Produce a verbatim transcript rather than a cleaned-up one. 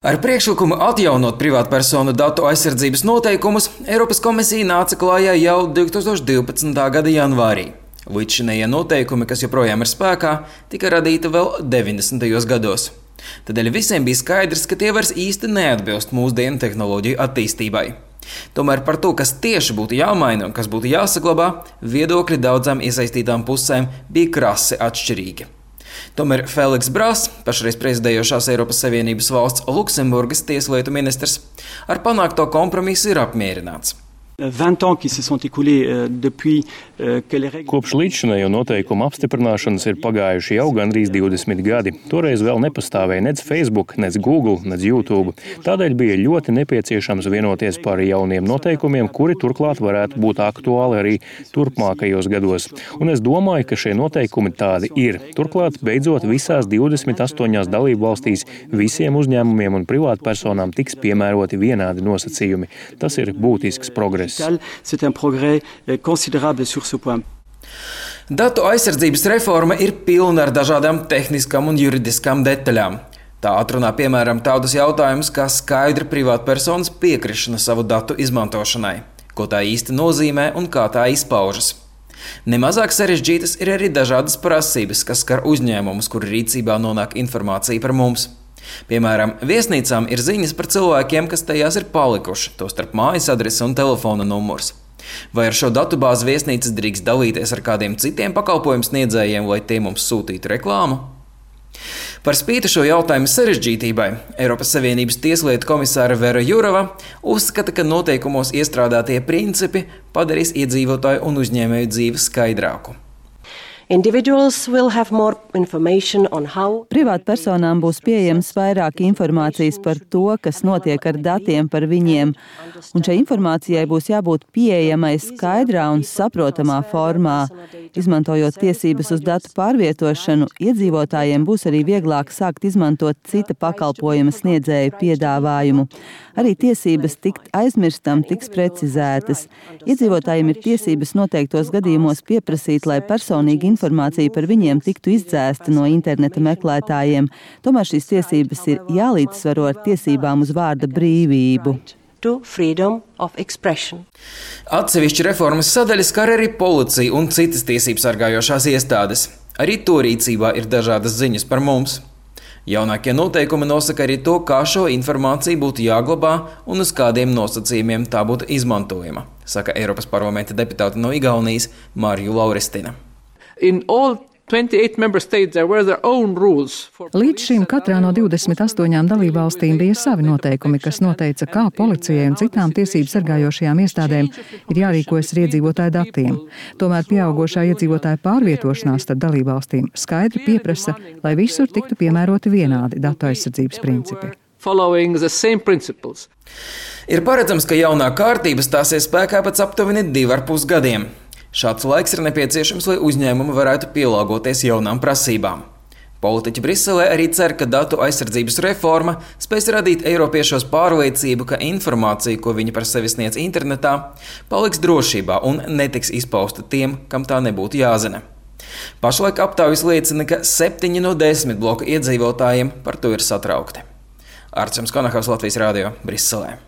Ar priekšlikumu atjaunot privātpersonu datu aizsardzības noteikumus Eiropas komisija nāca klājā jau divi tūkstoši divpadsmitā gada janvārī. Līdzšinējie noteikumi, kas joprojām ir spēkā, tika radīti vēl deviņdesmitajos gados. Tādēļ visiem bija skaidrs, ka tie vairs īsti neatbilst mūsdienu tehnoloģiju attīstībai. Tomēr par to, kas tieši būtu jāmaina un kas būtu jāsaglabā, viedokļi daudzām iesaistītām pusēm bija krasi atšķirīgi. Tomēr Feliks Bras, pašreiz prezidējošās Eiropas Savienības valsts Luksemburgas tieslietu ministrs, ar panākto kompromisu ir apmierināts. Kopš līdzšinējo noteikumu apstiprināšanas ir pagājuši jau gandrīz divdesmit gadi. Toreiz vēl nepastāvēja nec Facebook, nec Google, nec YouTube. Tādēļ bija ļoti nepieciešams vienoties par jauniem noteikumiem, kuri turklāt varētu būt aktuāli arī turpmākajos gados. Un es domāju, ka šie noteikumi tādi ir. Turklāt, beidzot, visās divdesmit astoņās dalību valstīs visiem uzņēmumiem un privātpersonām tiks piemēroti vienādi nosacījumi. Tas ir būtisks progress. Datu aizsardzības reforma ir pilna ar dažādām tehniskām un juridiskām detaļām. Tā atrunā piemēram tādus jautājumus kā skaidra privātpersonas piekrišana savu datu izmantošanai, ko tā īsti nozīmē un kā tā izpaužas. Nemazāk sarežģītas ir arī dažādas prasības, kas skar uzņēmumus, kuru rīcībā nonāk informācija par mums. Piemēram, viesnīcām ir ziņas par cilvēkiem, kas tajās ir palikuši, tostarp mājas adrese un telefona numurs. Vai ar šo datubāzi viesnīcas drīkst dalīties ar kādiem citiem pakalpojumu sniedzējiem, lai tie mums sūtītu reklāmu? Par spīti šo jautājumu sarežģītībai, Eiropas Savienības tieslietu komisāra Vera Jurova uzskata, ka noteikumos iestrādātie principi padarīs iedzīvotāju un uzņēmēju dzīvi skaidrāku. Privātpersonām būs pieejams vairāk informācijas par to, kas notiek ar datiem par viņiem, un šai informācijai būs jābūt pieejamai skaidrā un saprotamā formā. Izmantojot tiesības uz datu pārvietošanu, iedzīvotājiem būs arī vieglāk sākt izmantot cita pakalpojuma sniedzēju piedāvājumu. Arī tiesības tikt aizmirstam tiks precizētas. Iedzīvotājiem ir tiesības noteiktos gadījumos pieprasīt, lai personīgi informācija par viņiem tiktu izdzēsta no interneta meklētājiem. Tomēr šīs tiesības ir jālīdzsvaro ar tiesībām uz vārda brīvību. Atsevišķi reformas sadaļas skar arī policiju un citas tiesības sargājošās iestādes. Arī to rīcībā ir dažādas ziņas par mums. Jaunākie noteikumi nosaka arī to, kā šo informāciju būtu jāglabā un uz kādiem nosacījumiem tā būtu izmantojama, saka Eiropas parlamenta deputāte no Igaunijas Marju Lauristina. Līdz šim katrā no divdesmit astoņām dalībvalstīm bija savi noteikumi, kas noteica, kā policijai un citām tiesību sargājošajām iestādēm ir jārīkojas ar iedzīvotāju datiem. Tomēr pieaugošā iedzīvotāja pārvietošanās starp dalībvalstīm skaidri pieprasa, lai visur tiktu piemēroti vienādi datu aizsardzības principi. Ir paredzams, ka jaunā kārtība stāsies spēkā pēc aptuveni divu ar pus gadiem. Šāds laiks ir nepieciešams, lai uzņēmumi varētu pielāgoties jaunām prasībām. Politiķi Briselē arī cer, ka datu aizsardzības reforma spēs radīt eiropiešos pārliecību, ka informācija, ko viņi par sevi sniedz internetā, paliks drošībā un netiks izpausta tiem, kam tā nebūtu jāzina. Pašlaik aptaujas liecina, ka septiņi no desmit bloku iedzīvotājiem par to ir satraukti. Arčuns Konahaus, Latvijas radio, Briselē.